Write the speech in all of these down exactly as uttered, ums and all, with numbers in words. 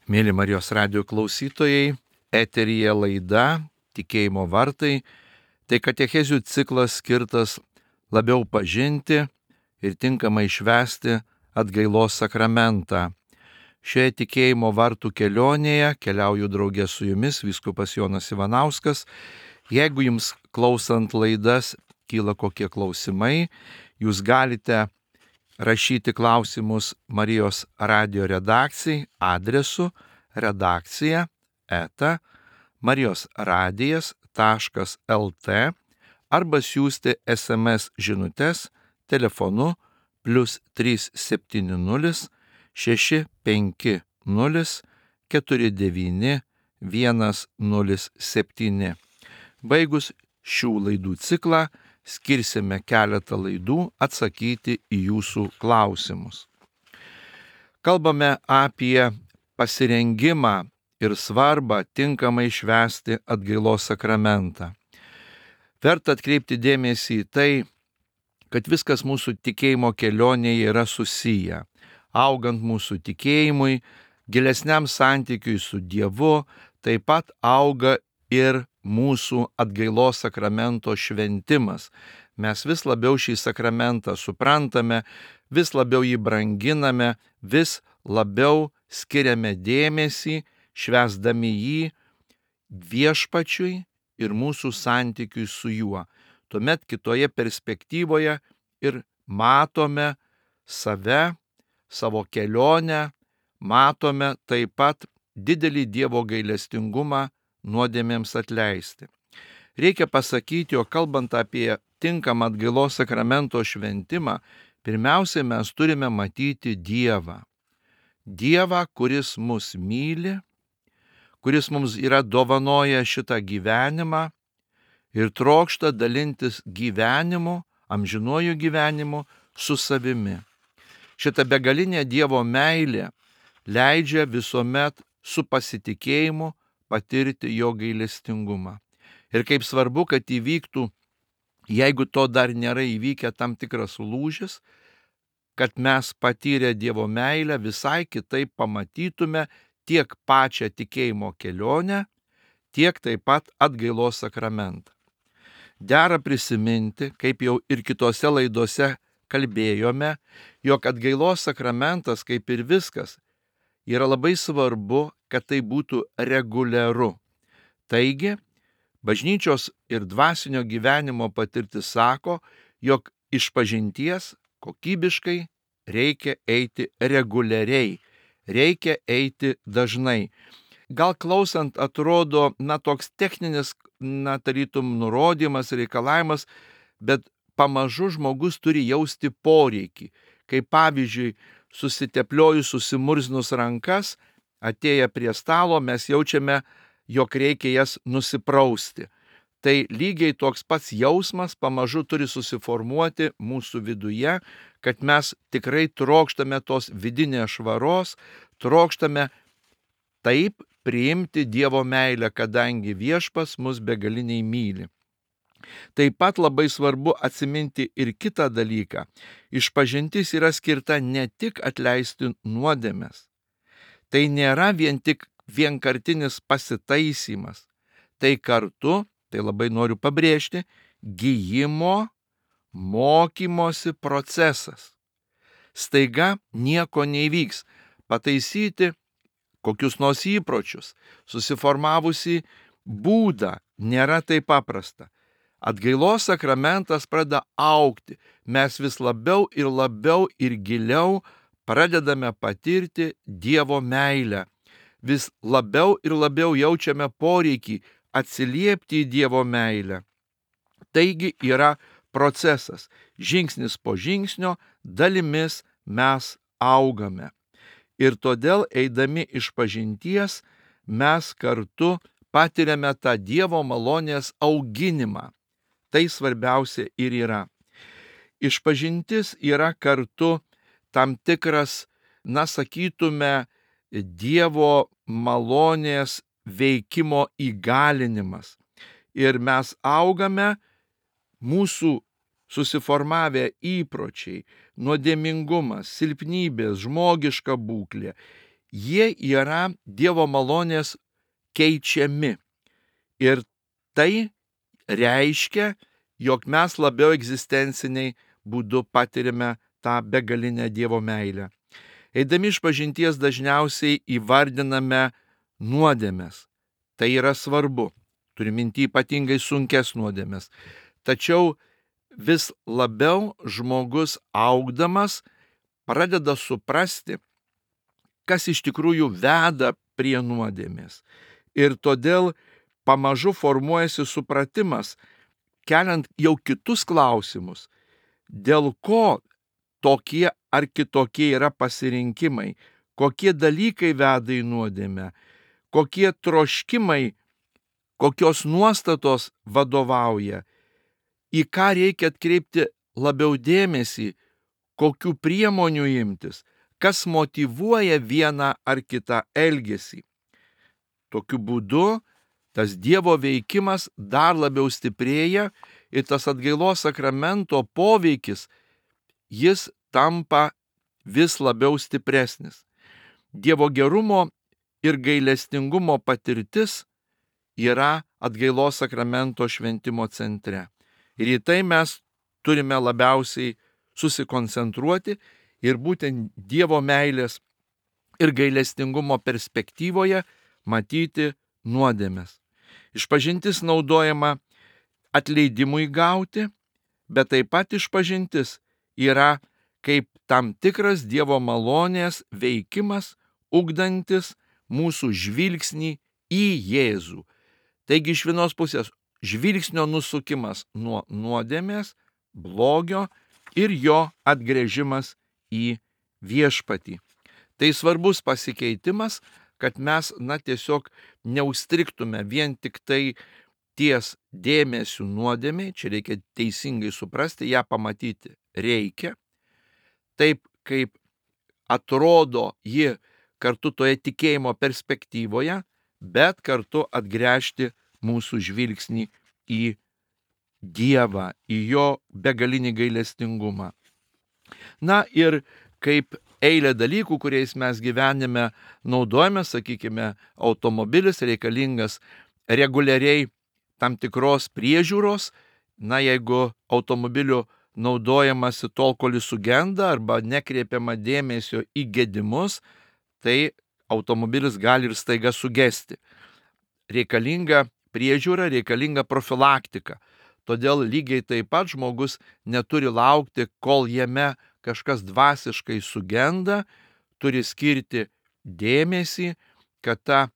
Mėly Marijos radijo klausytojai, eteryje laida Tikėjimo vartai. Tai katechezių ciklas skirtas labiau pažinti ir tinkamai švęsti atgailos sakramentą. Šioje Tikėjimo vartų kelionėje keliauju draugė su jumis, vyskupas Jonas Ivanauskas. Jeigu jums klausant laidas kyla kokie klausimai, jūs galite rašyti klausimus Marijos radijo redakcijai adresu redakcija eta marijos radijas taškas lt arba siųsti es em es žinutes telefonu plius trys septyni nulis šeši penki nulis keturi devyni vienas nulis septyni. Baigus šių laidų ciklą skirsime keletą laidų atsakyti į jūsų klausimus. Kalbame apie pasirengimą ir svarbą tinkamai švęsti atgailos sakramentą. Verta atkreipti dėmesį į tai, kad viskas mūsų tikėjimo kelionėje yra susiję. Augant mūsų tikėjimui, gilesniam santykiui su Dievu, taip pat auga ir mūsų atgailos sakramento šventimas. Mes vis labiau šį sakramentą suprantame, vis labiau jį branginame, vis labiau skiriame dėmesį, švęsdami jį viešpačiui ir mūsų santykiui su juo. Tuomet kitoje perspektyvoje ir matome save, savo kelionę, matome taip pat didelį Dievo gailestingumą nuodėmėms atleisti. Reikia pasakyti, jog kalbant apie tinkamą atgailos sakramento šventimą, pirmiausiai mes turime matyti Dievą. Dievą, kuris mus myli, kuris mums yra dovanoję šitą gyvenimą ir trokšta dalintis gyvenimu, amžinuoju gyvenimu su savimi. Šita begalinė Dievo meilė leidžia visuomet su pasitikėjimu patirti jo gailestingumą. Ir kaip svarbu, kad įvyktų, jeigu to dar nėra įvykę, tam tikras lūžis, kad mes patyrę Dievo meilę visai kitaip pamatytume tiek pačią tikėjimo kelionę, tiek taip pat atgailos sakramentą. Dera prisiminti, kaip jau ir kitose laidose kalbėjome, jog atgailos sakramentas, kaip ir viskas, yra labai svarbu, kad tai būtų reguliaru. Taigi, bažnyčios ir dvasinio gyvenimo patirtis sako, jog išpažinties kokybiškai reikia eiti reguliariai, reikia eiti dažnai. Gal klausant atrodo, na, toks techninis, na, tarytum nurodymas, reikalavimas, bet pamažu žmogus turi jausti poreikį. Kaip pavyzdžiui, susitepliojus, susimurzinus rankas, atėję prie stalo, mes jaučiame, jog reikia jas nusiprausti. Tai lygiai toks pats jausmas pamažu turi susiformuoti mūsų viduje, kad mes tikrai trokštame tos vidinės švaros, trokštame taip priimti Dievo meilę, kadangi viešpats mus begaliniai myli. Taip pat labai svarbu atsiminti ir kitą dalyką. Išpažintis yra skirta ne tik atleisti nuodėmes. Tai nėra vien tik vienkartinis pasitaisymas. Tai kartu, tai labai noriu pabrėžti, gijimo, mokymosi procesas. Staiga nieko neįvyks. Pataisyti kokius nors įpročius, susiformavusi būdą nėra taip paprasta. Atgailos sakramentas pradeda augti. Mes vis labiau ir labiau ir giliau pradedame patirti Dievo meilę. Vis labiau ir labiau jaučiame poreikį atsiliepti į Dievo meilę. Taigi yra procesas. Žingsnis po žingsnio dalimis mes augame. Ir todėl eidami išpažinties mes kartu patiriame tą Dievo malonės auginimą. Tai svarbiausia ir yra. Išpažintis yra kartu tam tikras, na sakytume, Dievo malonės veikimo įgalinimas. Ir mes augame, mūsų susiformavę įpročiai, nuodėmingumas, silpnybės, žmogiška būklė, jie yra Dievo malonės keičiami. Ir tai reiškia, jog mes labiau egzistenciniai būdu patirime tą begalinę Dievo meilę. Eidami išpažinties dažniausiai įvardiname nuodėmes. Tai yra svarbu. Turiu minty ypatingai sunkes nuodėmes. Tačiau vis labiau žmogus augdamas pradeda suprasti, kas iš tikrųjų veda prie nuodėmės. Ir todėl pamažu formuojasi supratimas, keliant jau kitus klausimus, dėl ko tokie ar kitokie yra pasirinkimai, kokie dalykai veda į nuodėmę, kokie troškimai, kokios nuostatos vadovauja, į ką reikia atkreipti labiau dėmesį, kokių priemonių imtis, kas motyvuoja vieną ar kitą elgesį. Tokiu būdu tas Dievo veikimas dar labiau stiprėja ir tas atgailos sakramento poveikis, jis tampa vis labiau stipresnis. Dievo gerumo ir gailestingumo patirtis yra atgailos sakramento šventimo centre. Ir į tai mes turime labiausiai susikoncentruoti ir būtent Dievo meilės ir gailestingumo perspektyvoje matyti nuodėmes. Išpažintis naudojama atleidimui gauti, bet taip pat išpažintis yra kaip tam tikras Dievo malonės veikimas, ugdantis mūsų žvilgsnį į Jėzų. Taigi iš vienos pusės žvilgsnio nusukimas nuo nuodėmės, blogio ir jo atgręžimas į viešpatį. Tai svarbus pasikeitimas, kad mes, na, tiesiog neužstriktume vien tik tai ties dėmesiu nuodėmiai, čia reikia teisingai suprasti, ją pamatyti reikia, taip kaip atrodo ji kartu toje tikėjimo perspektyvoje, bet kartu atgręžti mūsų žvilgsnį į Dievą, į jo begalinį gailestingumą. Na ir kaip eilė dalykų, kuriais mes gyvenime naudojame, sakykime, automobilis reikalingas reguliariai tam tikros priežiūros, na jeigu automobiliu naudojamasi tol, kol jis sugenda arba nekreipiama dėmesio į gedimus, tai automobilis gali ir staiga sugesti. Reikalinga priežiūra, reikalinga profilaktika. Todėl lygiai taip pat žmogus neturi laukti, kol jame kažkas dvasiškai sugenda, turi skirti dėmesį, kad ta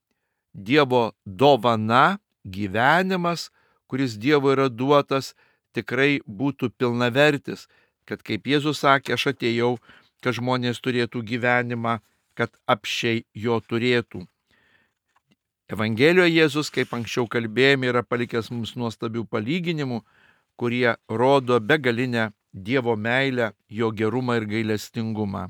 Dievo dovana, gyvenimas, kuris Dievo yra duotas, tikrai būtų pilnavertis, kad kaip Jėzus sakė, aš atėjau, kad žmonės turėtų gyvenimą, kad apsčiai jo turėtų. Evangelijoje Jėzus, kaip anksčiau kalbėjome, yra palikęs mums nuostabių palyginimų, kurie rodo begalinę Dievo meilę, jo gerumą ir gailestingumą.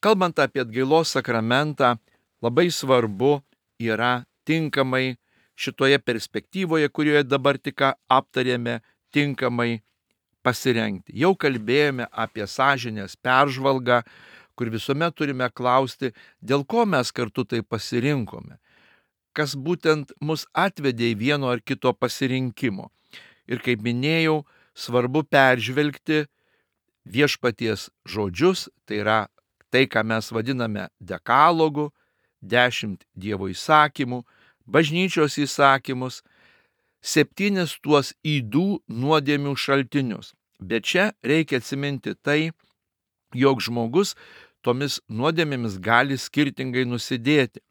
Kalbant apie atgailos sakramentą, labai svarbu yra tinkamai šitoje perspektyvoje, kurioje dabar tik aptarėme, tinkamai pasirengti. Jau kalbėjome apie sąžinės peržvalgą, kur visuomet turime klausti, dėl ko mes kartu tai pasirinkome, kas būtent mus atvedė į vieno ar kito pasirinkimo. Ir kaip minėjau, svarbu peržvelgti viešpaties žodžius, tai yra tai, ką mes vadiname dekalogu, dešimt Dievo įsakymų, bažnyčios įsakymus, septynis tuos ydų nuodėmių šaltinius. Bet čia reikia atsiminti tai, jog žmogus tomis nuodėmėmis gali skirtingai nusidėti.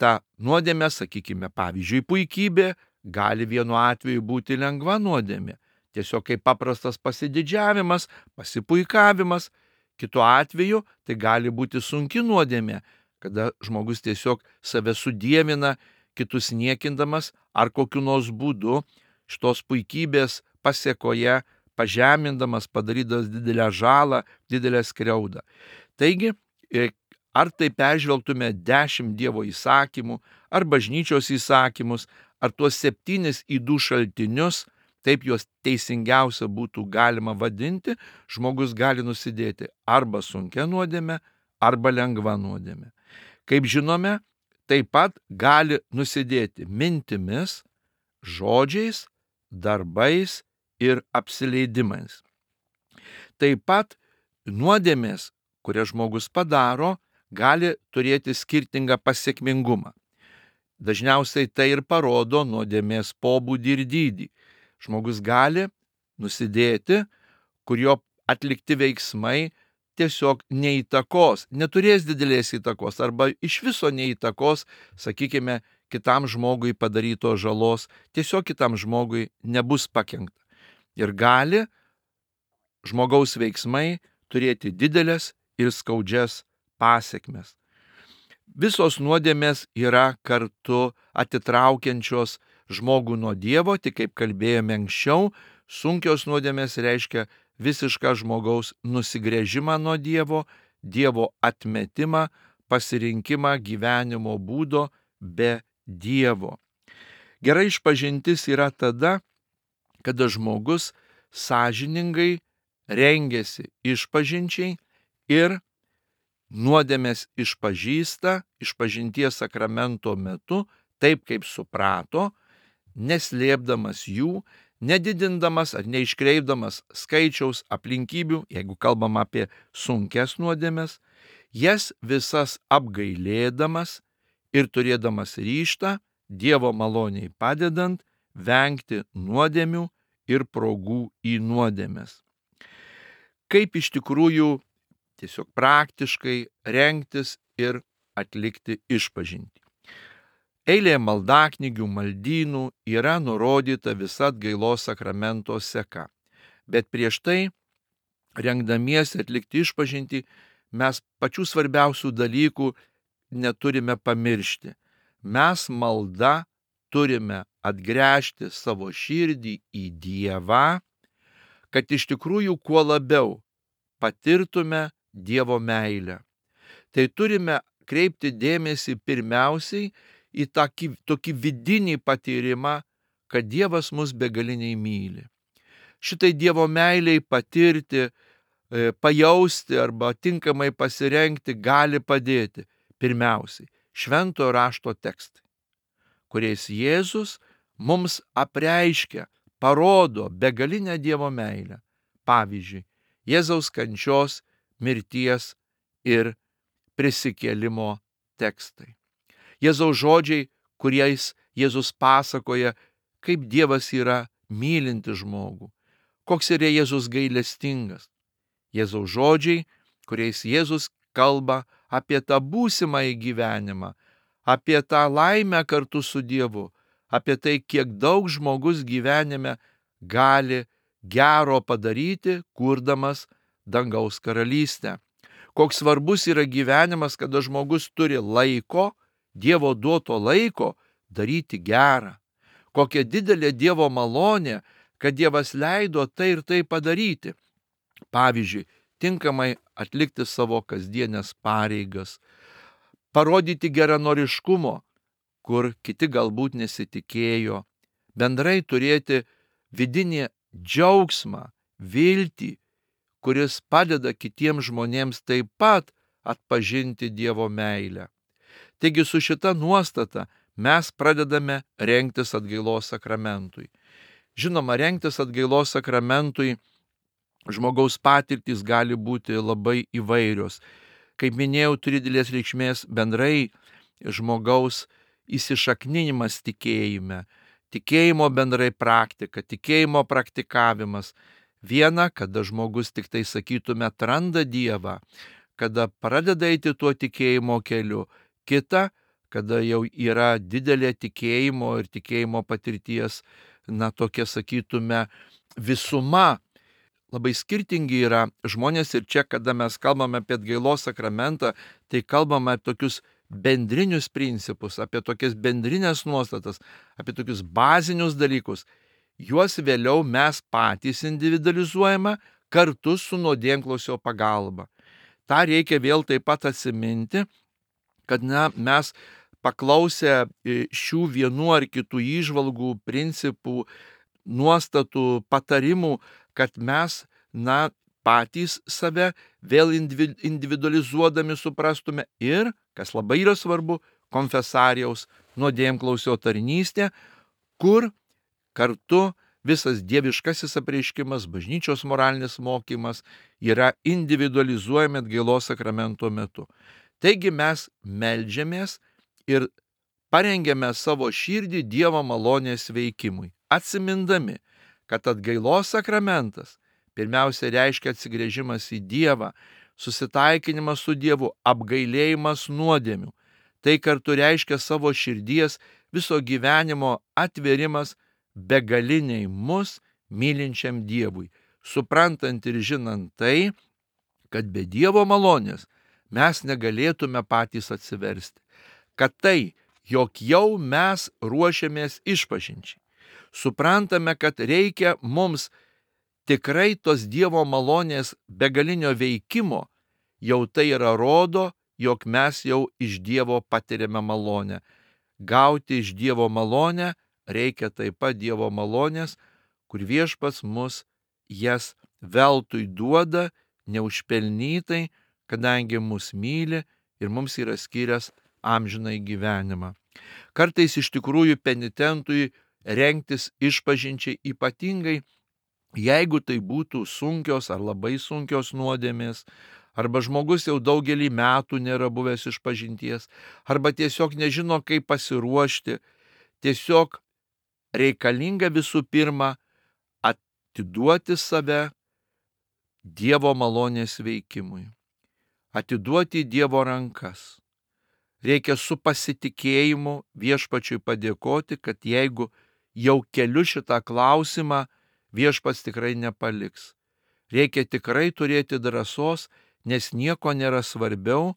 Ta nuodėmė, sakykime, pavyzdžiui, puikybė, gali vienu atveju būti lengva nuodėmė, tiesiog kaip paprastas pasididžiavimas, pasipuikavimas. Kitu atveju tai gali būti sunki nuodėmė, kada žmogus tiesiog save sudievina, kitus niekindamas ar kokiu nors būdu šitos puikybės pasėkoje pažemindamas, padarydamas didelę žalą, didelę skriaudą. Taigi, ar tai peržvelgtume dešimt Dievo įsakymų, ar bažnyčios įsakymus, ar tuos septynis ydų šaltinius, taip juos teisingiausia būtų galima vadinti, žmogus gali nusidėti arba sunkia nuodėme, arba lengva nuodėmė. Kaip žinome, taip pat gali nusidėti mintimis, žodžiais, darbais ir apsileidimais. Taip pat nuodėmės, kurias žmogus padaro, gali turėti skirtingą pasiekmingumą. Dažniausiai tai ir parodo nuodėmės pobūdį ir dydį. Žmogus gali nusidėti, kurio atlikti veiksmai tiesiog neįtakos, neturės didelės įtakos arba iš viso neįtakos, sakykime, kitam žmogui padarytos žalos, tiesiog kitam žmogui nebus pakenkta. Ir gali žmogaus veiksmai turėti didelės ir skaudžias pasiekmes. Visos nuodėmės yra kartu atitraukiančios žmogų nuo Dievo, tik kaip kalbėjome anksčiau, sunkios nuodėmės reiškia visišką žmogaus nusigręžimą nuo Dievo, Dievo atmetimą, pasirinkimą gyvenimo būdo be Dievo. Gera išpažintis yra tada, kada žmogus sąžiningai rengiasi išpažinčiai ir nuodėmės išpažįsta išpažinties sakramento metu taip, kaip suprato, neslėpdamas jų, nedidindamas ar neiškreipdamas skaičiaus aplinkybių, jeigu kalbam apie sunkes nuodėmes, jas visas apgailėdamas ir turėdamas ryžtą, Dievo maloniai padedant, vengti nuodėmių ir progų į nuodėmes. Kaip iš tikrųjų tiesiog praktiškai rengtis ir atlikti išpažintį. Eilėje maldaknygių, maldynų yra nurodyta visa atgailos sakramento seka. Bet prieš tai, rengdamiesi atlikti išpažintį, mes pačių svarbiausių dalykų neturime pamiršti. Mes malda turime atgręžti savo širdį į Dievą, kad iš tikrųjų kuo labiau patirtume Dievo meilę. Tai turime kreipti dėmesį pirmiausiai į tokį, tokį vidinį patyrimą, kad Dievas mus begaliniai myli. Šitai Dievo meiliai patirti, pajausti arba tinkamai pasirengti gali padėti pirmiausiai šventojo rašto tekstai, kuriais Jėzus mums apreiškia, parodo begalinę Dievo meilę. Pavyzdžiui, Jėzaus kančios, mirties ir prisikėlimo tekstai. Jėzaus žodžiai, kuriais Jėzus pasakoja, kaip Dievas yra mylinti žmogų, koks yra Jėzus gailestingas. Jėzaus žodžiai, kuriais Jėzus kalba apie tą būsimąjį gyvenimą, apie tą laimę kartu su Dievu, apie tai, kiek daug žmogus gyvenime gali gero padaryti, kurdamas dangaus karalystę. Koks svarbus yra gyvenimas, kada žmogus turi laiko, Dievo duoto laiko daryti gerą. Kokia didelė Dievo malonė, kad Dievas leido tai ir tai padaryti. Pavyzdžiui, tinkamai atlikti savo kasdienės pareigas, parodyti geranoriškumo, kur kiti galbūt nesitikėjo, bendrai turėti vidinį džiaugsmą, viltį, kuris padeda kitiems žmonėms taip pat atpažinti Dievo meilę. Taigi su šita nuostata mes pradedame rengtis atgailos sakramentui. Žinoma, rengtis atgailos sakramentui žmogaus patirtys gali būti labai įvairios. Kaip minėjau, turi didelės reikšmės bendrai žmogaus įsišakninimas tikėjime, tikėjimo bendrai praktika, tikėjimo praktikavimas. Viena, kada žmogus tik tai, sakytume, atranda Dievą, kada pradeda eiti tuo tikėjimo keliu. Kita, kada jau yra didelė tikėjimo ir tikėjimo patirties, na tokia, sakytume, visuma. Labai skirtingi yra žmonės ir čia, kada mes kalbame apie atgailos sakramentą, tai kalbame apie tokius bendrinius principus, apie tokias bendrinės nuostatas, apie tokius bazinius dalykus. Juos vėliau mes patys individualizuojame kartu su nuodėmklausio pagalba. Ta reikia vėl taip pat atsiminti, kad na, mes paklausę šių vienų ar kitų įžvalgų, principų, nuostatų, patarimų, kad mes na, patys save vėl individualizuodami suprastume ir, kas labai yra svarbu, konfesarijaus nuodėmklausio tarnystė, kur kartu visas dieviškasis apreiškimas, bažnyčios moralinis mokymas yra individualizuojami atgailos sakramento metu. Taigi mes meldžiamės ir parengiame savo širdį Dievo malonės veikimui, atsimindami, kad atgailos sakramentas pirmiausia reiškia atsigręžimas į Dievą, susitaikinimas su Dievu, apgailėjimas nuodėmių. Tai kartu reiškia savo širdies viso gyvenimo atverimas begaliniai mus mylinčiam Dievui, suprantant ir žinant tai, kad be Dievo malonės mes negalėtume patys atsiversti, kad tai, jog jau mes ruošiamės išpažinčiai. Suprantame, kad reikia mums tikrai tos Dievo malonės begalinio veikimo, jau tai yra rodo, jog mes jau iš Dievo patiriame malonę. Gauti iš Dievo malonę reikia taip pat Dievo malonės, kur Viešpats mus jas veltui duoda, neužpelnytai, kadangi mus myli ir mums yra skyręs amžinai gyvenimą. Kartais iš tikrųjų penitentui rengtis išpažinčiai, ypatingai jeigu tai būtų sunkios ar labai sunkios nuodėmės, arba žmogus jau daugelį metų nėra buvęs išpažinties, arba tiesiog nežino, kaip pasiruošti, tiesiog reikalinga visų pirma atiduoti save Dievo malonės veikimui, atiduoti Dievo rankas. Reikia su pasitikėjimu Viešpačiui padėkoti, kad jeigu jau keliu šitą klausimą, Viešpats tikrai nepaliks. Reikia tikrai turėti drąsos, nes nieko nėra svarbiau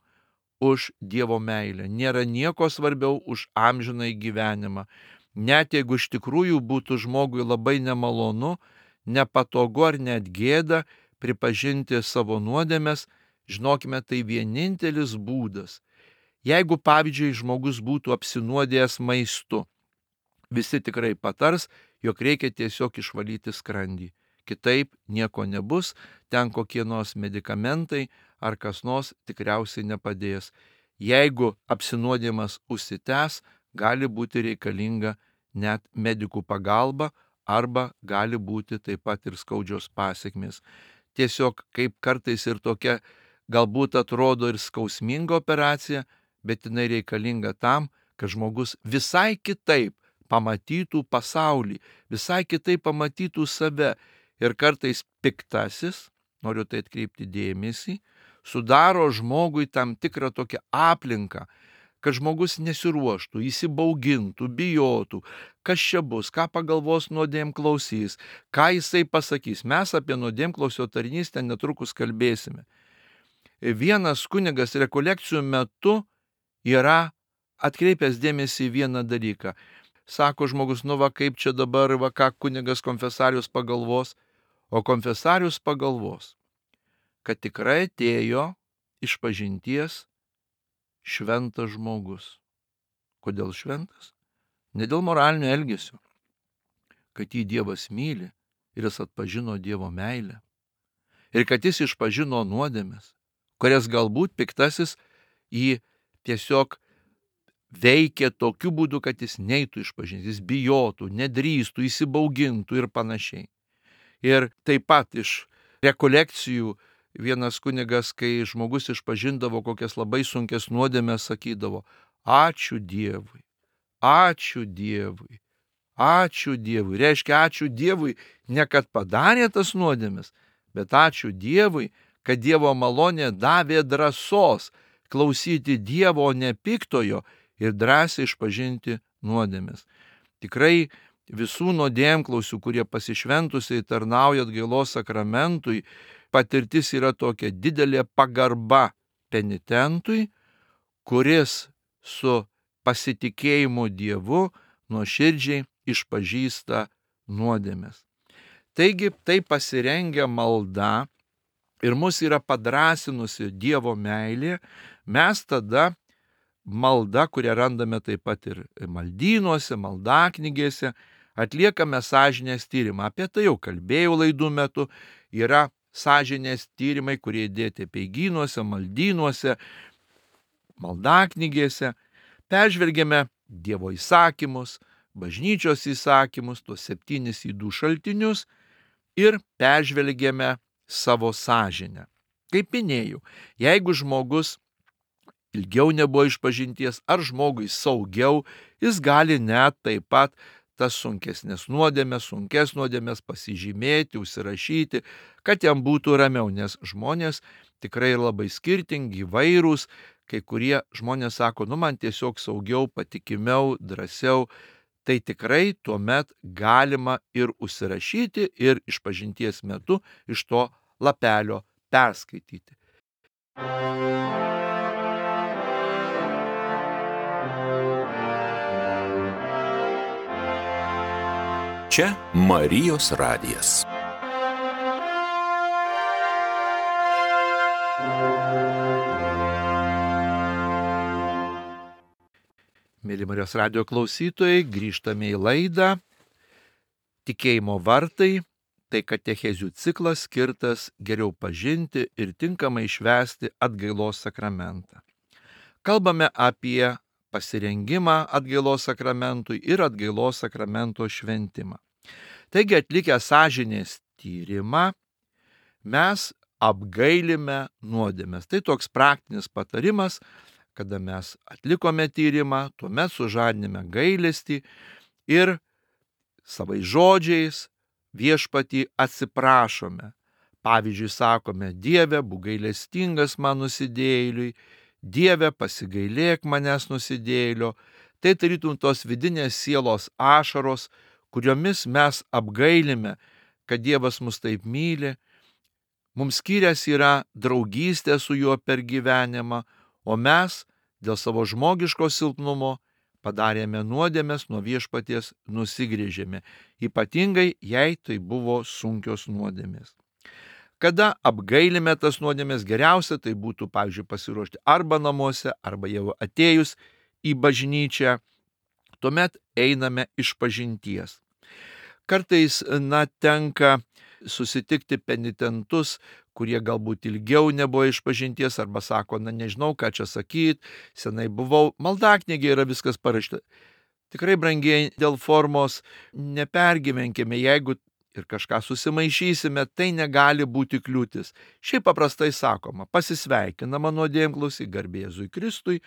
už Dievo meilę, nėra nieko svarbiau už amžinai gyvenimą. Net jeigu iš tikrųjų būtų žmogui labai nemalonu, nepatogu ar net gėda pripažinti savo nuodėmes, žinokime, tai vienintelis būdas. Jeigu, pavyzdžiui, žmogus būtų apsinuodėjęs maistu, visi tikrai patars, jog reikia tiesiog išvalyti skrandį. Kitaip nieko nebus, ten kokie nors medikamentai ar kas nors tikriausiai nepadės. Jeigu apsinuodimas užsitęs, gali būti reikalinga net medikų pagalba arba gali būti taip pat ir skaudžios pasekmės. Tiesiog kaip kartais ir tokia galbūt atrodo ir skausminga operacija, bet jinai reikalinga tam, kad žmogus visai kitaip pamatytų pasaulį, visai kitaip pamatytų save. Ir kartais piktasis, noriu tai atkreipti dėmesį, sudaro žmogui tam tikrą tokią aplinką, kad žmogus nesiruoštų, įsibaugintų, bijotų, kas čia bus, ką pagalvos nuodėmklausys, ką jisai pasakys. Mes apie nuodėmklausio tarnystę netrukus kalbėsime. Vienas kunigas rekolekcijų metu yra atkreipęs dėmesį į vieną dalyką. Sako žmogus, nu va kaip čia dabar, va ką kunigas konfesarius pagalvos, o konfesarius pagalvos, kad tikrai atėjo išpažinties šventas žmogus. Kodėl šventas? Ne dėl moralinio elgesio, kad jį Dievas myli ir jis atpažino Dievo meilę. Ir kad jis išpažino nuodėmes, kurias galbūt piktasis jį tiesiog veikia tokiu būdu, kad jis neitų išpažinti, jis bijotų, nedrįstų, įsibaugintų ir panašiai. Ir taip pat iš rekolekcijų vienas kunigas, kai žmogus išpažindavo kokias labai sunkias nuodėmes, sakydavo, ačiū Dievui, ačiū Dievui, ačiū Dievui. Reiškia, ačiū Dievui ne kad padarė tas nuodėmes, bet ačiū Dievui, kad Dievo malonė davė drąsos klausyti Dievo, ne piktojo, ir drąsiai išpažinti nuodėmes. Tikrai visų nuodėmklausių, kurie pasišventusiai tarnauja atgailos sakramentui, patirtis yra tokia didelė pagarba penitentui, kuris su pasitikėjimu Dievu nuoširdžiai išpažįsta nuodėmes. Taigi tai pasirengia malda ir mus yra padrasinusi Dievo meilė, mes tada malda, kurią randame taip pat ir maldynuose, maldaknygėse, atliekame sąžinės tyrimą. Apie tai jau kalbėjau laidų metu. Yra sąžinės tyrimai, kurie dėti apeigynuose, maldynuose, maldaknygėse. Peržvelgėme Dievo įsakymus, bažnyčios įsakymus, tuos septynis ydų šaltinius ir peržvelgėme savo sąžinę. Kaip minėjau, jeigu žmogus ilgiau nebuvo išpažinties, ar žmogui saugiau, jis gali net taip pat tas sunkesnės nuodėmės, sunkes nuodėmės pasižymėti, užsirašyti, kad jam būtų ramiau, nes žmonės tikrai labai skirtingi, įvairūs. Kai kurie žmonės sako, nu man tiesiog saugiau, patikimiau, drąsiau. Tai tikrai tuomet galima ir užsirašyti ir išpažinties metu iš to lapelio perskaityti. Čia Marijos radijas. Mėly Marijos radijo klausytojai, grįžtame į laidą Tikėjimo vartai. Tai katechezių ciklas skirtas geriau pažinti ir tinkamai švęsti atgailos sakramentą. Kalbame apie pasirengimą atgailos sakramentui ir atgailos sakramento šventimą. Taigi atlikę sąžinės tyrimą, mes apgailime nuodėmes. Tai toks praktinis patarimas, kada mes atlikome tyrimą, tuomet sužadiname gailestį ir savais žodžiais viešpatį atsiprašome. Pavyzdžiui, sakome, Dieve, būk gailestingas man nusidėjėliui, Dieve, pasigailėk manęs nusidėjėlio. Tai tarytum tos vidinės sielos ašaros, kuriomis mes apgailime, kad Dievas mus taip myli. Mums skyręs yra draugystė su juo per gyvenimą, o mes dėl savo žmogiško silpnumo padarėme nuodėmes, nuo viešpaties nusigrėžėme, ypatingai jei tai buvo sunkios nuodėmės. Kada apgailime tas nuodėmes, geriausia tai būtų, pavyzdžiui, pasiruošti arba namuose, arba jau atėjus į bažnyčią, tuomet einame išpažinties. Kartais, na, tenka susitikti penitentus, kurie galbūt ilgiau nebuvo išpažinties, arba sako, na nežinau, ką čia sakyt, senai buvau, maldaknygėje yra viskas parašyta. Tikrai, brangiai, dėl formos nepergyvenkime, jeigu ir kažką susimaišysime, tai negali būti kliūtis. Šiaip paprastai sakoma, pasisveikinama nuodėmklausiai, garbė Jėzui Kristui,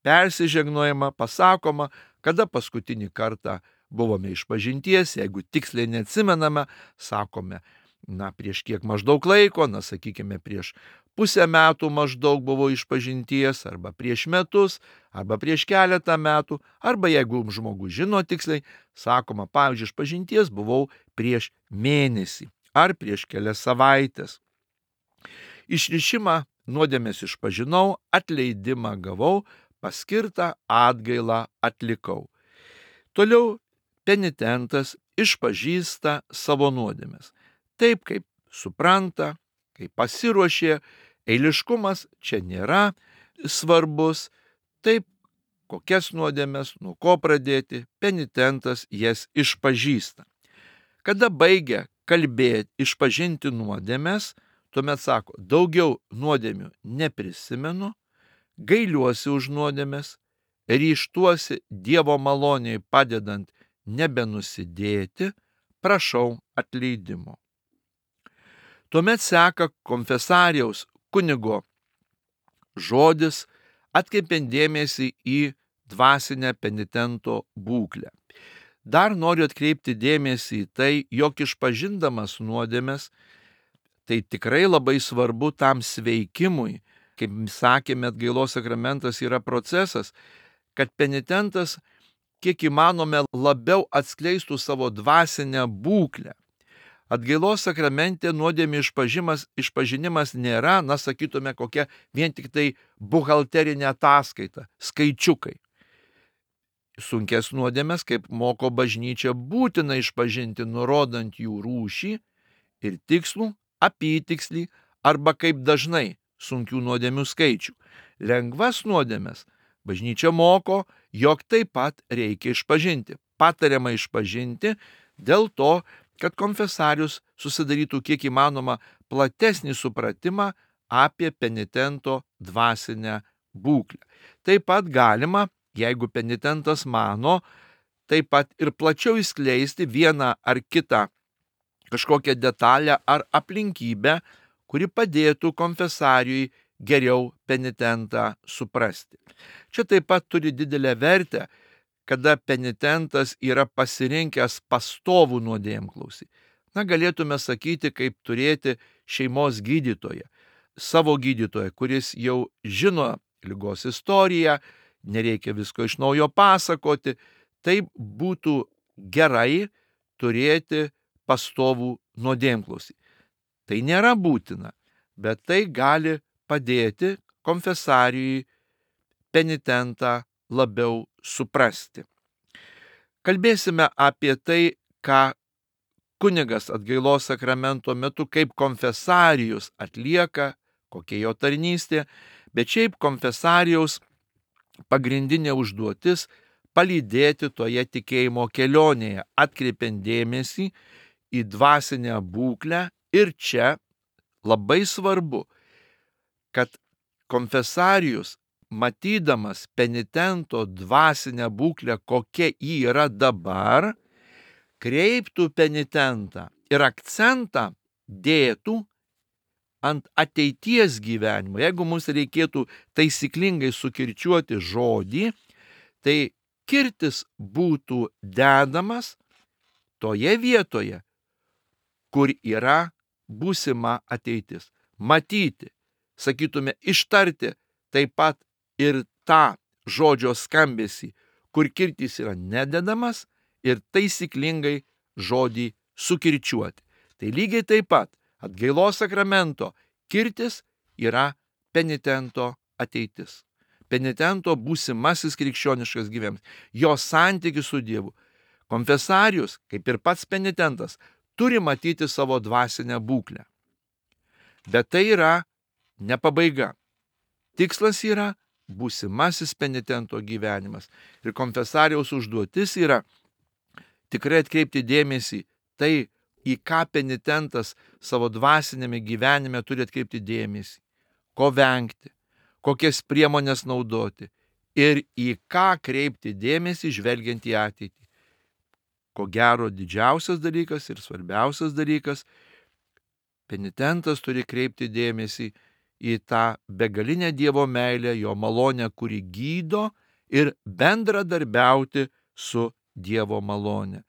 persižegnojama, pasakoma, kada paskutinį kartą buvome išpažinties, jeigu tiksliai neatsimename, sakome, na, prieš kiek maždaug laiko, na, sakykime, prieš pusę metų maždaug buvo išpažinties, arba prieš metus, arba prieš keletą metų, arba jeigu žmogus žino tiksliai, sakoma, pavyzdžiui, išpažinties buvau prieš mėnesį, ar prieš kelias savaitės. Išrišimą nuodėmės išpažinau, atleidimą gavau, paskirtą atgailą atlikau. Toliau penitentas išpažįsta savo nuodėmes. Taip, kaip supranta, kaip pasiruošė, eiliškumas čia nėra svarbus, taip, kokias nuodėmes, nuo ko pradėti, penitentas jas išpažįsta. Kada baigia kalbėti, išpažinti nuodėmes, tuomet sako, daugiau nuodėmių neprisimenu, gailiuosi už nuodėmes, ryžtuosi Dievo maloniai padedant nebenusidėti, prašau atleidimo. Tuomet seka konfesarijaus kunigo žodis, atkreipiant dėmesį į dvasinę penitento būklę. Dar noriu atkreipti dėmesį į tai, jog išpažindamas nuodėmes, tai tikrai labai svarbu tam sveikimui. Kaip sakėme, atgailos sakramentas yra procesas, kad penitentas kiek įmanome labiau atskleistų savo dvasinę būklę. Atgailos sakramente nuodėmių išpažinimas, išpažinimas nėra, na, sakytume, kokia vien tik tai buhalterinė ataskaita, skaičiukai. Sunkes nuodėmes, kaip moko bažnyčia, būtina išpažinti, nurodant jų rūšį ir tikslų, apytikslį arba kaip dažnai sunkių nuodėmių skaičių. Lengvas nuodėmes bažnyčia moko, jog taip pat reikia išpažinti. Patariama išpažinti dėl to, kad konfesarius susidarytų kiek įmanoma platesnį supratimą apie penitento dvasinę būklę. Taip pat galima, jeigu penitentas mano, taip pat ir plačiau išskleisti vieną ar kitą kažkokią detalę ar aplinkybę, kuri padėtų konfesarijui geriau penitentą suprasti. Čia taip pat turi didelę vertę, kada penitentas yra pasirinkęs pastovų nuodėmklausį. Na, galėtume sakyti, kaip turėti šeimos gydytoją, savo gydytoją, kuris jau žino ligos istoriją, nereikia visko iš naujo pasakoti. Tai būtų gerai turėti pastovų nuodėmklausį. Tai nėra būtina, bet tai gali padėti konfesarijui penitentą labiau suprasti. Kalbėsime apie tai, ką kunigas atgailos sakramento metu kaip konfesarijus atlieka, kokia jo tarnystė, bet šiaip konfesarijaus pagrindinė užduotis palydėti toje tikėjimo kelionėje, atkreipiant dėmesį į dvasinę būklę. Ir čia labai svarbu, kad konfesarijus, matydamas penitento dvasinę būklę, kokia ji yra dabar, kreiptų penitentą ir akcentą dėtų ant ateities gyvenimo. Jeigu mums reikėtų taisyklingai sukirčiuoti žodį, tai kirtis būtų dedamas toje vietoje, kur yra būsima ateitis. Matyti, sakytume, ištarti taip pat ir tą žodžio skambesį, kur kirtis yra nededamas, ir taisyklingai žodį sukirčiuoti. Tai lygiai taip pat atgailos sakramento kirtis yra penitento ateitis. Penitento būsimasis krikščioniškas gyvenimas, jo santykis su Dievu. Konfesarijus, kaip ir pats penitentas, turi matyti savo dvasinę būklę. Bet tai yra ne pabaiga. Tikslas yra būsimasis penitento gyvenimas. Ir konfesarijaus užduotis yra tikrai atkreipti dėmesį tai, į ką penitentas savo dvasinėme gyvenime turi atkreipti dėmesį, ko vengti, kokias priemonės naudoti ir į ką kreipti dėmesį žvelgiant į ateitį. Ko gero didžiausias dalykas ir svarbiausias dalykas, penitentas turi kreipti dėmesį į tą begalinę Dievo meilę, jo malonę, kuri gydo, ir bendradarbiauti su Dievo malonė.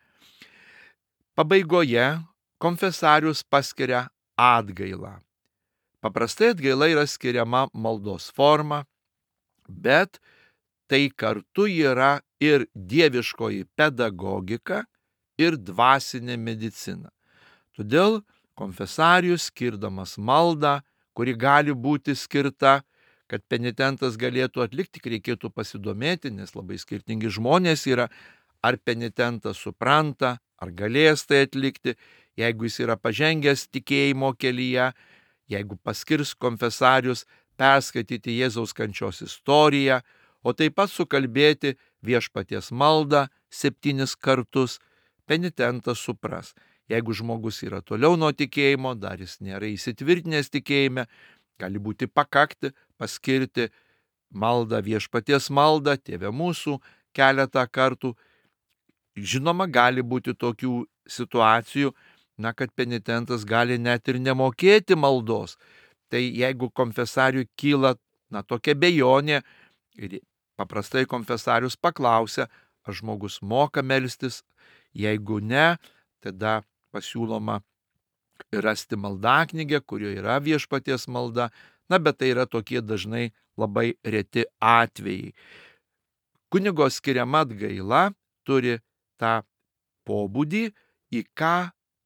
Pabaigoje konfesarius paskiria atgailą. Paprastai atgaila yra skiriama maldos forma, bet tai kartu yra ir dieviškoji pedagogika ir dvasinė medicina. Todėl konfesarius, skirdamas maldą, kuri gali būti skirta, kad penitentas galėtų atlikti, tik reikėtų pasidomėti, nes labai skirtingi žmonės yra, ar penitentas supranta, ar galės tai atlikti, jeigu jis yra pažengęs tikėjimo kelyje, jeigu paskirs konfesarius perskaityti Jėzaus kančios istoriją, o taip pat sukalbėti viešpaties maldą septynis kartus, penitentas supras. Jeigu žmogus yra toliau nuo tikėjimo, dar jis nėra įsitvirtinęs tikėjime, gali būti pakakti paskirti maldą, viešpaties maldą, Tėve mūsų keletą kartų. Žinoma, gali būti tokių situacijų, na, kad penitentas gali net ir nemokėti maldos. Tai jeigu konfesariui kyla, na, tokia bejonė, ir paprastai konfesarius paklausia, ar žmogus moka melstis, jeigu ne, tada pasiūloma rasti maldaknygę, kurioje yra viešpaties malda, na, bet tai yra tokie dažnai labai reti atvejai. Kunigo skiriama atgaila turi tą pobūdį, į ką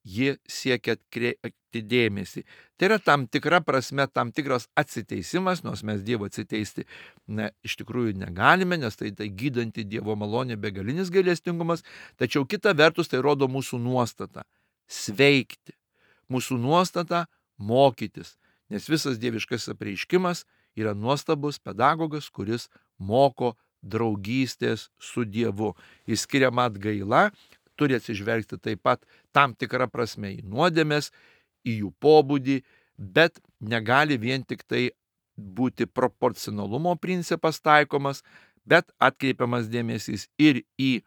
ji siekia atkreipti dėmesį. Tai yra tam tikra prasme, tam tikras atsiteisimas, nors mes Dievo atsiteisti ne, iš tikrųjų negalime, nes tai, tai gydanti Dievo malonė, begalinis gailestingumas, tačiau kita vertus tai rodo mūsų nuostatą sveikti, mūsų nuostatą mokytis, nes visas dieviškas apreiškimas yra nuostabus pedagogas, kuris moko draugystės su Dievu. Įskiriama atgaila turi atsižvelgti taip pat tam tikrą prasme į nuodėmes, į jų pobūdį, bet negali vien tik tai būti proporcionalumo principas taikomas, bet atkreipiamas dėmesys ir į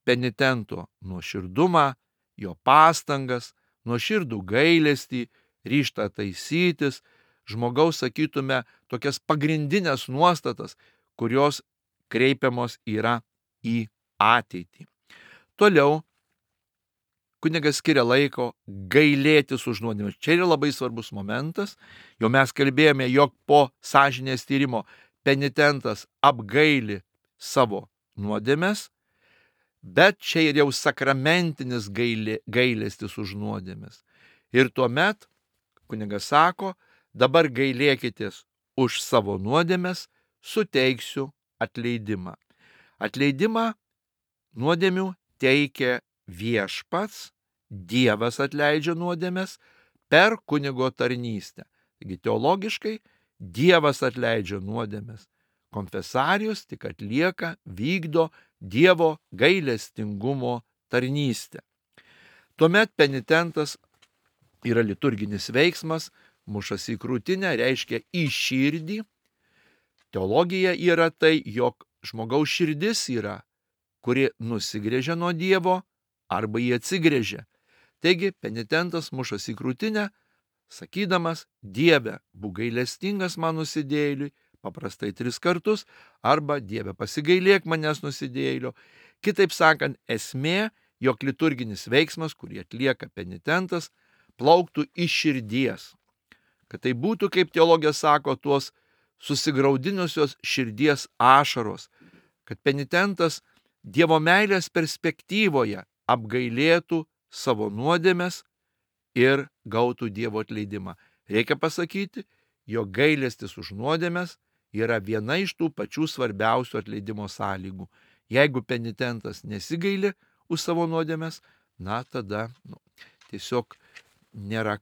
penitento nuoširdumą, jo pastangas, nuoširdų gailestį, ryžtą taisytis, žmogaus, sakytume, tokias pagrindinės nuostatas, kurios kreipiamos yra į ateitį. Toliau kunigas skiria laiko gailėtis už nuodėmes. Čia yra labai svarbus momentas. Jau mes kalbėjome, jog po sąžinės tyrimo penitentas apgaili savo nuodėmes, bet čia ir jau sakramentinis gailė, gailestis už nuodėmes. Ir tuomet kunigas sako, dabar gailėkitės už savo nuodėmes, suteiksiu atleidimą. Atleidimą nuodėmių teikia viešpats, Dievas atleidžia nuodėmes per kunigo tarnystę. Taigi teologiškai Dievas atleidžia nuodėmes. Konfesarijus tik atlieka, vykdo Dievo gailestingumo tarnystę. Tuomet penitentas yra liturginis veiksmas, mušas į krūtinę, reiškia į širdį. Teologija yra tai, jog žmogaus širdis yra, kuri nusigrėžia nuo Dievo arba jį atsigrėžia. Taigi penitentas mušas į krūtinę, sakydamas, Dieve, būk gailestingas man nusidėjėliui, paprastai tris kartus, arba Dieve, pasigailėk manęs nusidėjėlio. Kitaip sakant, esmė, jog liturginis veiksmas, kurį atlieka penitentas, plauktų iš širdies. Kad tai būtų, kaip teologija sako, tuos susigraudinusios širdies ašaros, kad penitentas Dievo meilės perspektyvoje apgailėtų savo nuodėmes ir gautų Dievo atleidimą. Reikia pasakyti, jog gailestis už nuodėmes yra viena iš tų pačių svarbiausių atleidimo sąlygų. Jeigu penitentas nesigaili už savo nuodėmes, na tada nu, tiesiog nėra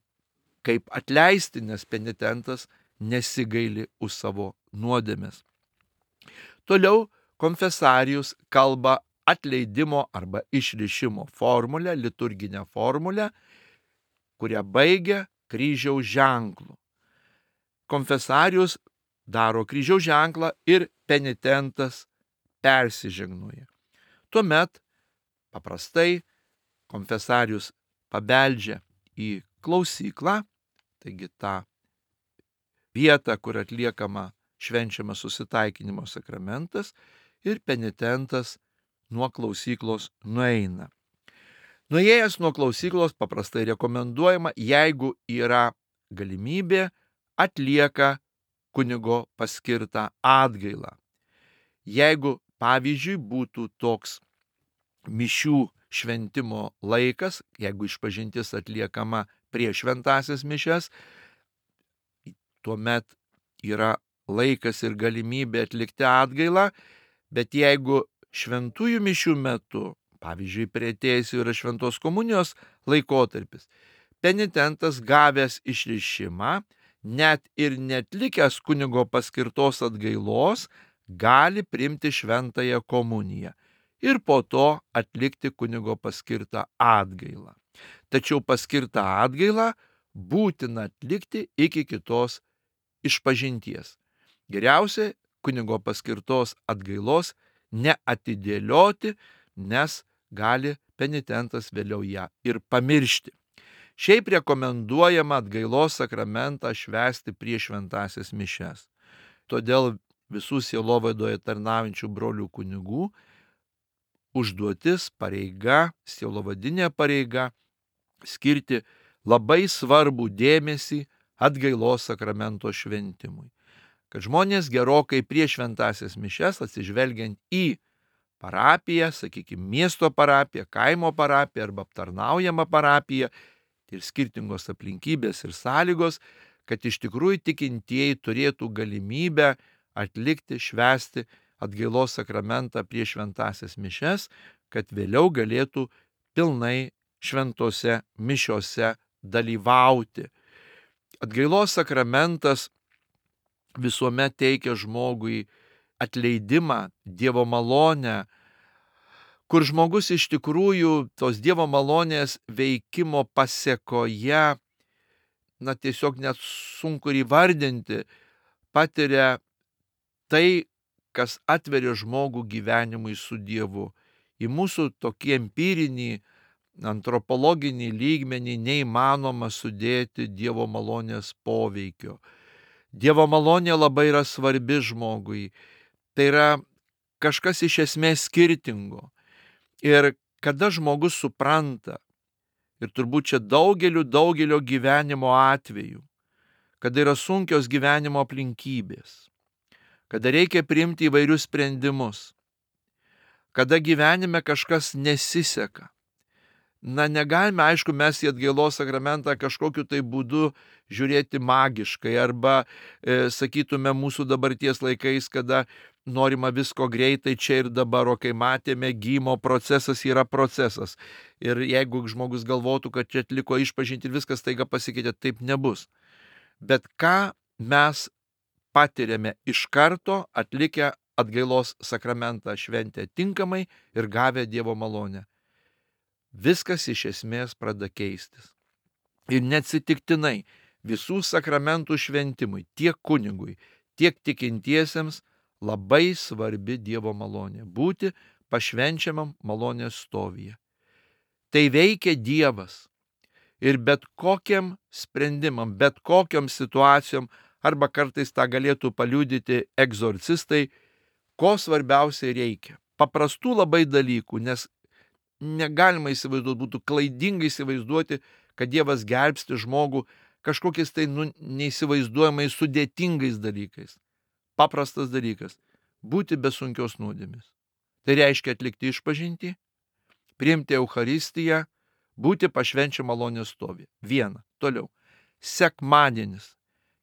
kaip atleisti, nes penitentas nesigaili už savo nuodėmes. Toliau konfesarijus kalba atleidimo arba išrišimo formulę, liturginę formulę, kurią baigia kryžiaus ženklu. Konfesarijus daro kryžiaus ženklą ir penitentas persižegnoja. Tuomet paprastai konfesarijus pabeldžia į klausyklą, taigi tą vietą, kur atliekama švenčiamas susitaikinimo sakramentas, ir penitentas nuo klausyklos nueina. Nuėjęs nuo klausyklos paprastai rekomenduojama, jeigu yra galimybė, atlieka kunigo paskirtą atgailą. Jeigu, pavyzdžiui, būtų toks mišių šventimo laikas, jeigu išpažintis atliekama prieš šventąsias mišias, tuomet yra laikas ir galimybė atlikti atgailą, bet jeigu šventųjų mišių metu, pavyzdžiui, priartėjus yra šventos komunijos laikotarpis, penitentas gavęs išrišimą, net ir netlikęs kunigo paskirtos atgailos, gali priimti šventąją komuniją ir po to atlikti kunigo paskirtą atgailą. Tačiau paskirtą atgailą būtina atlikti iki kitos išpažinties. Geriausia kunigo paskirtos atgailos neatidėlioti, nes gali penitentas vėliau ją ir pamiršti. Šiaip rekomenduojama atgailos sakramentą švęsti prieš šventąsias mišias. Todėl visų sielovaidoje tarnaujančių brolių kunigų užduotis, pareiga, sielovadinė pareiga skirti labai svarbų dėmesį atgailos sakramento šventimui. Kad žmonės gerokai prieš šventąsias mišias, atsižvelgiant į parapiją, sakykime, miesto parapiją, kaimo parapiją arba aptarnaujamą parapiją, ir skirtingos aplinkybės ir sąlygos, kad iš tikrųjų tikintieji turėtų galimybę atlikti, švęsti atgailos sakramentą prieš šventąsias mišias, kad vėliau galėtų pilnai šventose mišiose dalyvauti. Atgailos sakramentas visuomet teikia žmogui atleidimą, Dievo malonę, kur žmogus iš tikrųjų tos Dievo malonės veikimo pasekoje na tiesiog net sunku ir įvardinti, patiria tai, kas atveria žmogų gyvenimui su Dievu. Į mūsų tokį empirinį, antropologinį lygmenį neįmanoma sudėti Dievo malonės poveikio. Dievo malonė labai yra svarbi žmogui. Tai yra kažkas iš esmės skirtingo. Ir kada žmogus supranta, ir turbūt čia daugeliu, daugelio gyvenimo atvejų, kada yra sunkios gyvenimo aplinkybės, kada reikia priimti įvairius sprendimus, kada gyvenime kažkas nesiseka. Na, negalime, aišku, mes į atgailos sakramentą kažkokiu tai būdu žiūrėti magiškai, arba, e, sakytume, mūsų dabarties laikais, kada norima visko greitai čia ir dabar, o kai matėme, gijimo procesas yra procesas. Ir jeigu žmogus galvotų, kad čia atliko išpažinti ir viskas taiga pasikeitė, taip nebus. Bet ką mes patiriame iš karto atlikę atgailos sakramentą šventę tinkamai ir gavę Dievo malonę? Viskas iš esmės pradeda keistis. Ir neatsitiktinai visų sakramentų šventimui, tiek kunigui, tiek tikintiesiems labai svarbi Dievo malonė. Būti pašvenčiamam malonės stovyje. Tai veikia Dievas. Ir bet kokiam sprendimam, bet kokiam situacijom, arba kartais tą galėtų paliudyti egzorcistai, ko svarbiausiai reikia. Paprastų labai dalykų, nes negalima įsivaizduoti, būtų klaidingai įsivaizduoti, kad Dievas gelbsti žmogų kažkokiais tai nu, neįsivaizduojamai sudėtingais dalykais. Paprastas dalykas - būti be sunkios nuodėmės. Tai reiškia atlikti išpažintį, priimti Eucharistiją, būti pašvenčiam malonės stovį. Viena. Toliau. Sekmadienis.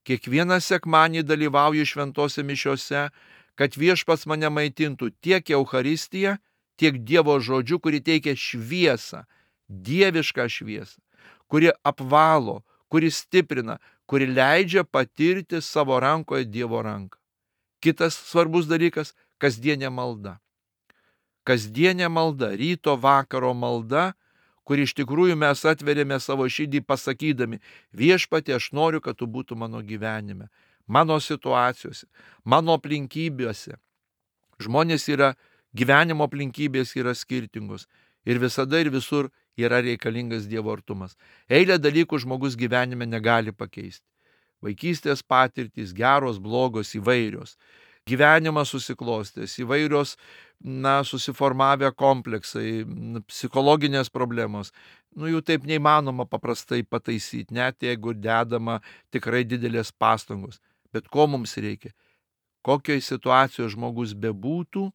Kiekvieną sekmadienį dalyvauju šventose mišiose, kad Viešpats mane maitintų tiek Eucharistiją, tiek Dievo žodžiu, kuri teikia šviesą, dievišką šviesą, kuri apvalo, kuri stiprina, kuri leidžia patirti savo rankoje Dievo ranką. Kitas svarbus dalykas - kasdienė malda. Kasdienė malda, ryto vakaro malda, kur iš tikrųjų mes atveriame savo širdį pasakydami: Viešpatie, aš noriu, kad tu būtum mano gyvenime, mano situacijose, mano aplinkybėse. Žmonės yra Gyvenimo aplinkybės yra skirtingos ir visada ir visur yra reikalingas Dievo artumas. Eilę dalykų žmogus gyvenime negali pakeisti. Vaikystės patirtys, geros, blogos, įvairios. Gyvenimas susiklostęs, įvairios, na, susiformavę kompleksai, psichologinės problemos. Nu, jų taip neįmanoma paprastai pataisyti, net jeigu dedama tikrai didelės pastangos. Bet ko mums reikia? Kokioje situacijoje žmogus bebūtų,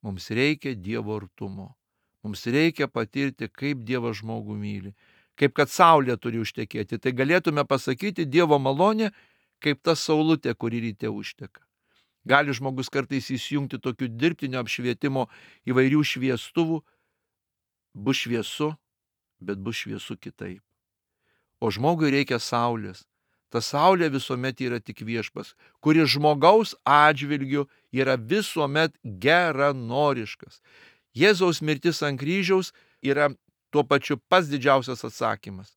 mums reikia Dievo artumo. Mums reikia patirti, kaip Dievas žmogų myli. Kaip kad saulė turi užtekėti. Tai galėtume pasakyti Dievo malonė, kaip ta saulutė, kuri ryte užteka. Gali žmogus kartais įsijungti tokių dirbtinio apšvietimo įvairių šviestuvų. Bus šviesu, bet bus šviesu kitaip. O žmogui reikia saulės. Ta saulė visuomet yra tik Viešpas, kuris žmogaus atžvilgiu yra visuomet geranoriškas. Jėzaus mirtis ant kryžiaus yra tuo pačiu pats didžiausias atsakymas.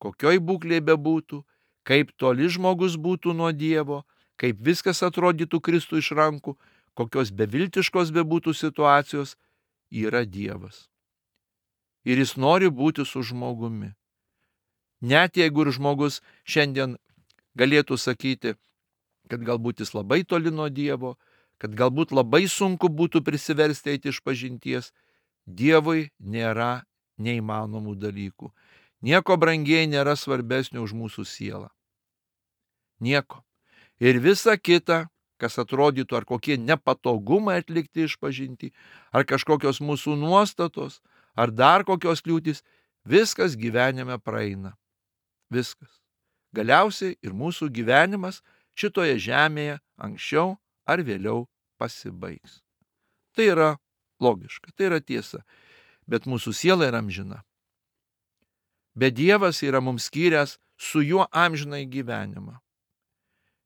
Kokioj būklėje bebūtų, kaip toli žmogus būtų nuo Dievo, kaip viskas atrodytų Kristų iš rankų, kokios beviltiškos bebūtų situacijos, yra Dievas. Ir jis nori būti su žmogumi. Net jeigu ir žmogus šiandien galėtų sakyti, kad galbūt jis labai toli nuo Dievo, kad galbūt labai sunku būtų prisiversti eiti iš pažinties, Dievui nėra neįmanomų dalykų. Nieko brangiai nėra svarbesnio už mūsų sielą. Nieko. Ir visa kita, kas atrodytų ar kokie nepatogumai atlikti iš pažinti, ar kažkokios mūsų nuostatos, ar dar kokios kliūtis, viskas gyvenime praeina. Viskas. Galiausiai ir mūsų gyvenimas šitoje žemėje anksčiau ar vėliau pasibaigs. Tai yra logiška, tai yra tiesa, bet mūsų siela yra amžina. Bet Dievas yra mums skyręs su juo amžinai gyvenimą.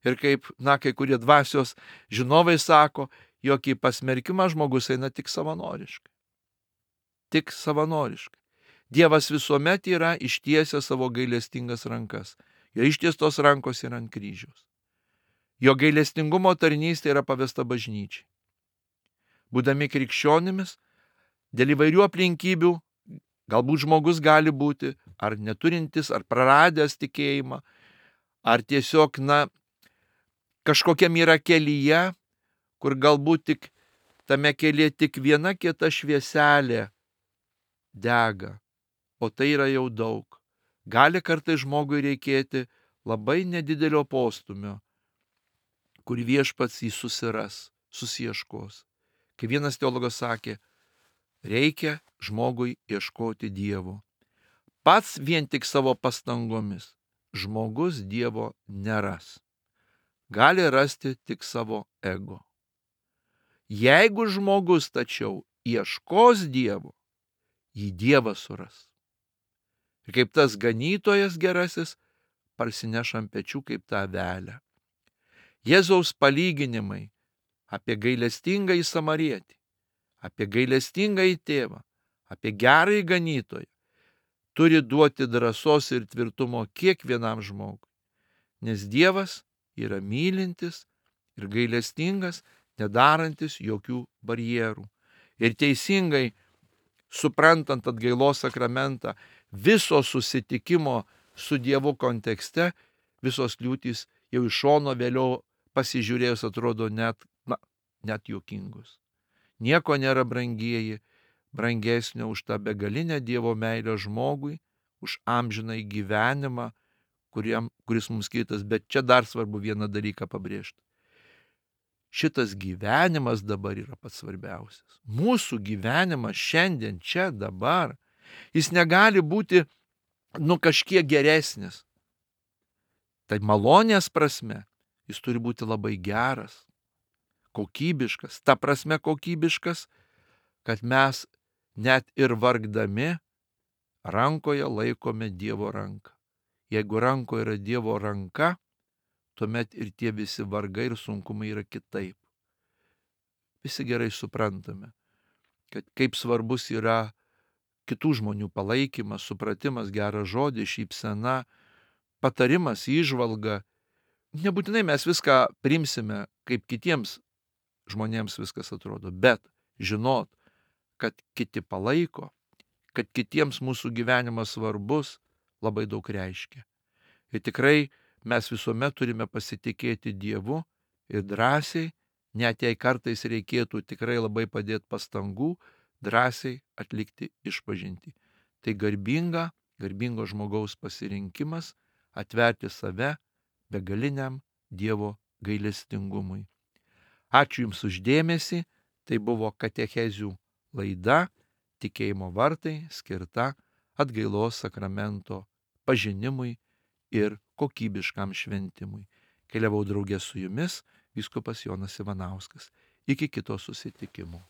Ir kaip, na, kai kurie dvasios žinovai sako, jog į pasmerkimą žmogus eina tik savanoriškai. Tik savanoriškai. Dievas visuomet yra ištiesęs savo gailestingas rankas. Jo ištiestos rankos yra ant kryžiaus. Jo gailestingumo tarnystė yra pavesta bažnyčiai. Būdami krikščionimis, dėl įvairių aplinkybių, galbūt žmogus gali būti ar neturintis, ar praradęs tikėjimą, ar tiesiog, na, kažkokiam yra kelyje, kur galbūt tik tame kelyje tik viena kieta švieselė dega, o tai yra jau daug. Gali kartais žmogui reikėti labai nedidelio postumio, kur viešpats jį susiras, susieškos. Kai vienas teologas sakė, reikia žmogui ieškoti Dievo. Pats vien tik savo pastangomis žmogus Dievo neras. Gali rasti tik savo ego. Jeigu žmogus tačiau ieškos Dievo, jį Dievas suras. Ir kaip tas ganytojas gerasis parsineš ant pečių kaip tą avelę. Jėzaus palyginimai apie gailestingąjį samarietį, apie gailestingąjį tėvą, apie gerąjį ganytoją turi duoti drąsos ir tvirtumo kiekvienam žmogui. Nes Dievas yra mylintis ir gailestingas, nedarantis jokių barjerų. Ir teisingai suprantant atgailos sakramentą, viso susitikimo su Dievu kontekste, visos kliūtys jau iš šono vėliau pasižiūrėjus atrodo net, na, net juokingos. Nieko nėra, brangieji, brangesnio už tą begalinę Dievo meilę žmogui, už amžinąjį gyvenimą, kuriam, kuris mums skirtas. Bet čia dar svarbu vieną dalyką pabrėžti. Šitas gyvenimas dabar yra pats svarbiausias. Mūsų gyvenimas šiandien, čia, dabar, jis negali būti, nu, kažkiek geresnis. Tai malonės prasme jis turi būti labai geras, kokybiškas. Ta prasme kokybiškas, kad mes net ir vargdami rankoje laikome Dievo ranką. Jeigu rankoje yra Dievo ranka, tuomet ir tie visi vargai ir sunkumai yra kitaip. Visi gerai suprantame, kad kaip svarbus yra kitų žmonių palaikymas, supratimas, geras žodis, šypsena, patarimas, įžvalga. Nebūtinai mes viską priimsime, kaip kitiems žmonėms viskas atrodo, bet žinot, kad kiti palaiko, kad kitiems mūsų gyvenimas svarbus, labai daug reiškia. Ir tikrai mes visuomet turime pasitikėti Dievu ir drąsiai, net jei kartais reikėtų tikrai labai padėti pastangų, drąsiai atlikti išpažintį. Tai garbinga, garbingo žmogaus pasirinkimas atverti save begaliniam Dievo gailestingumui. Ačiū Jums už dėmesį. Tai buvo katechezių laida Tikėjimo vartai, skirta atgailos sakramento pažinimui ir kokybiškam šventimui. Keliavau draugė su Jumis, vyskupas Jonas Ivanauskas. Iki kito susitikimo.